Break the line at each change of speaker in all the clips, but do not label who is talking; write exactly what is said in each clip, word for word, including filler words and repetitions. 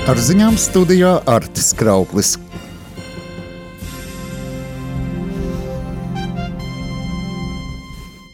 Ar ziņām studijā Artis Krauplis.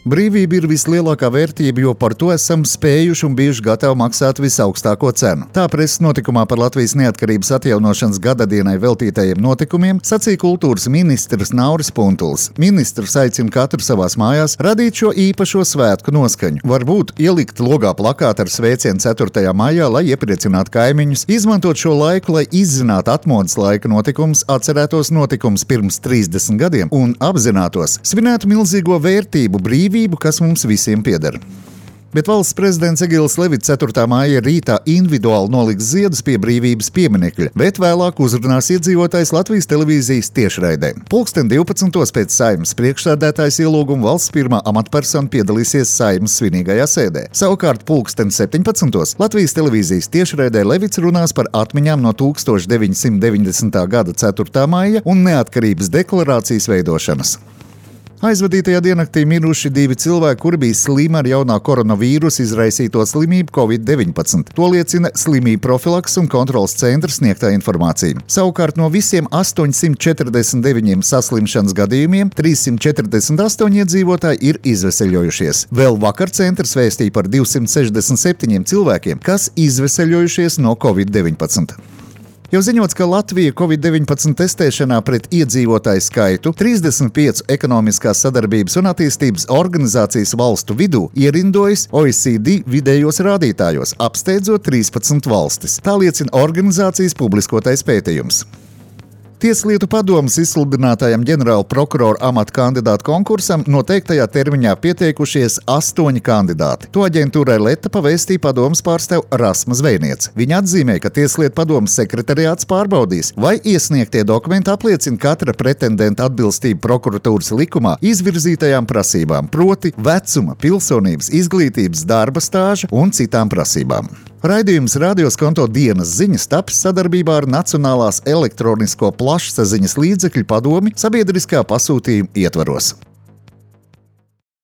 Brīvība ir vislielākā vērtība, jo par to esam spējuši un bijuši gatavi maksāt visaugstāko cenu. Tā preses notikumā par Latvijas neatkarības atjaunošanas gadadienai veltītajiem notikumiem sacīja kultūras ministrs Nauris Puntulis. Ministrs aicina katru savās mājās radīt šo īpašo svētku noskaņu. Varbūt ielikt logā plakātu ar sveicienu ceturtajā maijā, lai iepriecinātu kaimiņus, izmantot šo laiku, lai izzinātu atmodas laika notikumus, atcerētos notikumus pirms trīsdesmit gadiem un apzinātos, svinētu milzīgo vērtību brīvību, kas mums visiem pieder. Bet valsts prezidents Egils Levits ceturtā maija rītā individuāli noliks ziedus pie brīvības pieminekļa, bet vēlāk uzrunās iedzīvotājs Latvijas televīzijas tiešraidē. Pulksten divpadsmitos pēc Saeimas priekšsēdētājas ielūguma valsts pirmā amatpersona piedalīsies Saeimas svinīgajā sēdē. Savukārt pulksten septiņpadsmitos Latvijas televīzijas tiešraidē Levits runās par atmiņām no tūkstoš deviņsimt deviņdesmitā gada ceturtā maija un neatkarības deklarācijas veidošanas. Aizvadītajā diennaktī miruši divi cilvēki, kuri bija slimi ar jaunā koronavīrusa izraisīto slimību covid deviņpadsmit. To liecina slimību profilakses un kontrolas centra sniegtā informācija. Savukārt no visiem astoņsimt četrdesmit deviņiem saslimšanas gadījumiem trīssimt četrdesmit astoņi iedzīvotāji ir izveseļojušies. Vēl vakar centrs vēstīja par divsimt sešdesmit septiņiem cilvēkiem, kas izveseļojušies no covid deviņpadsmit. Jau ziņots, ka Latvija covid deviņpadsmit testēšanā pret iedzīvotāju skaitu trīsdesmit piecu ekonomiskās sadarbības un attīstības organizācijas valstu vidū ierindojas O E C D vidējos rādītājos, apsteidzot trīspadsmit valstis. Tā liecina organizācijas publiskotais pētījums. Tieslietu padomes izsludinātajam ģenerāla prokurora amata kandidātu konkursam noteiktajā termiņā pieteikušies astoņi kandidāti. To aģentūrai Leta pavēstīja padomes pārstāv Rasma Zvejniece. Viņa atzīmē, ka Tieslietu padomes sekretariāts pārbaudīs, vai iesniegtie dokumenti apliecina katra pretendenta atbilstību prokuratūras likumā izvirzītajām prasībām, proti vecuma, pilsonības, izglītības, darba stāža un citām prasībām. Raidījums Radioskonto dienas ziņas taps sadarbībā ar Nacionālās elektronisko plašsaziņas līdzekļu padomi sabiedriskā pasūtījuma ietvaros.